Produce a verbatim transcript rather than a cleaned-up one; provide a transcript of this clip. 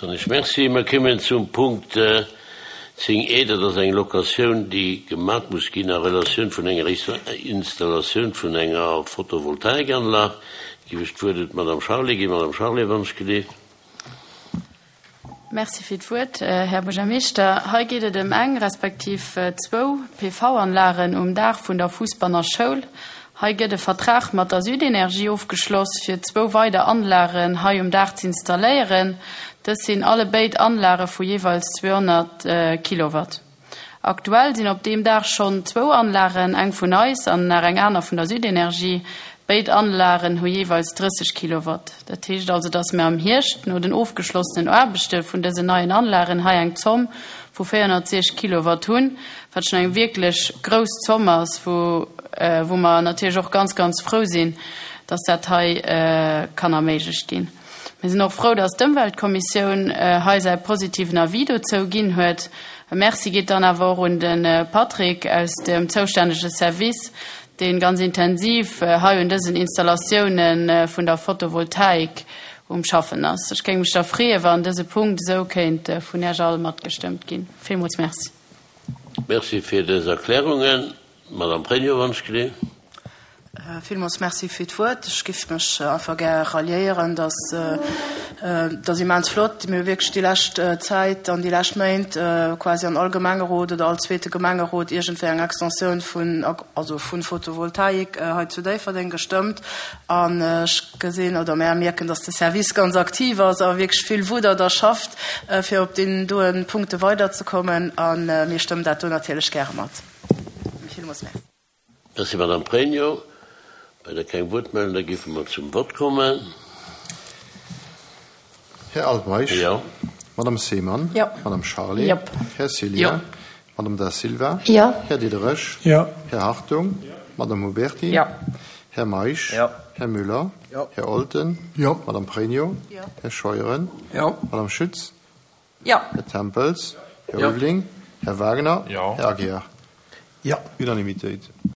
Soen ech Merci. Mer kommen zum Punkt zéng E, dat ass eng Locatioun, déi gemat muss ginn a Relatioun vun enger Installatioun vun enger Photovoltaikanlag. Giff ech d'Wuert un d'Madame Charlé ginn. Madame Charlé, wann ech geleeft. Merci fir d'Wuert, Här Buergermeeschter. Hei geet et ëm eng, respektiv zwou P V-Anlagen um Daach vun der Fuussbanner Schoul. Hei gëtt e Vertrag mat der Südenergie ofgeschloss, fir zwou weider Anlagen hei um Daach z'installéieren. Dës sinn allebéid Anlage vu jeeweils zweehonnert Kilowatt. Aktuell sinn op deem Daach schonn zwou Anlagen, eng vun eis an nach eng aner vun der Südenergie. Béid Anlagen hu jeeweils drësseg Kilowatt. Dat heescht also, dass mir am Hierscht no den ofgeschlossenen Aarbechte vun dësen neien Anlagen hei eng Zomm vu véierhonnertsiechzeg Kilowatt hunn, wat schonn eng wierklech grouss Zomm ass, wou wou mer natierlech och ganz, ganz frou sinn, dass dat hei kann erméiglecht ginn. Mir sinn och frou, dass d'Ëmweltkommissioun hei säi positiven Avis dozou ginn huet. E Merci geet dann awer och un de Patrick aus dem zoustännege Service, dee ganz intensiv hei un dësen Installatioune vun der Photovoltaik um Schaffen ass. Ech géing mech da freeën, wann dëse Punkt esou kéint vun Iech all matgestëmmt ginn. Villmools Merci. Merci fir dës Erklärungen. Madame Pregno, wann ech geleeft. Villmools Merci fir d'Wuert. Ech giff mech einfach gär ralliéieren, dass dat ass immens flott. Mir hu wierklech déi lescht Zäit an déi lescht Méint quasi an all Gemengerot oder all zweete Gemengerot iergendwéi eng Extensioun vun, also vu Photovoltaik hei zu Déifferdeng gestëmmt. An ech gesinn oder mär mierken, dass de Service ganz aktiv ass a wierklech vill wuddert a schafft, fir op deenen doen Punkte weiderzekommen. A mir stëmmen dat do natierlech gäre mat. Villmools Merci. Merci, Madame Pregno. Bei der keng Wuertmeldung, da géife mer zum Vott kommen. Här Altmeisch. Jo. Madame Seemann. Jo. Madame Charlé. Jo. Här Cillien. Jo. Madame Da Silva. Jo. Här Diderich. Jo. Här Hartung. Jo. Madame Huberti. Jo. Här Meisch. Jo. Här Müller. Jo. Här Olten. Jo. Madame Pregno. Jo. Här Scheuren. Jo. Madame Schütz. Jo. Här Tempels. Här Jo. Ulveling. Här Wagner. Jo. Här Aguiar. Jo. Unanimitéit.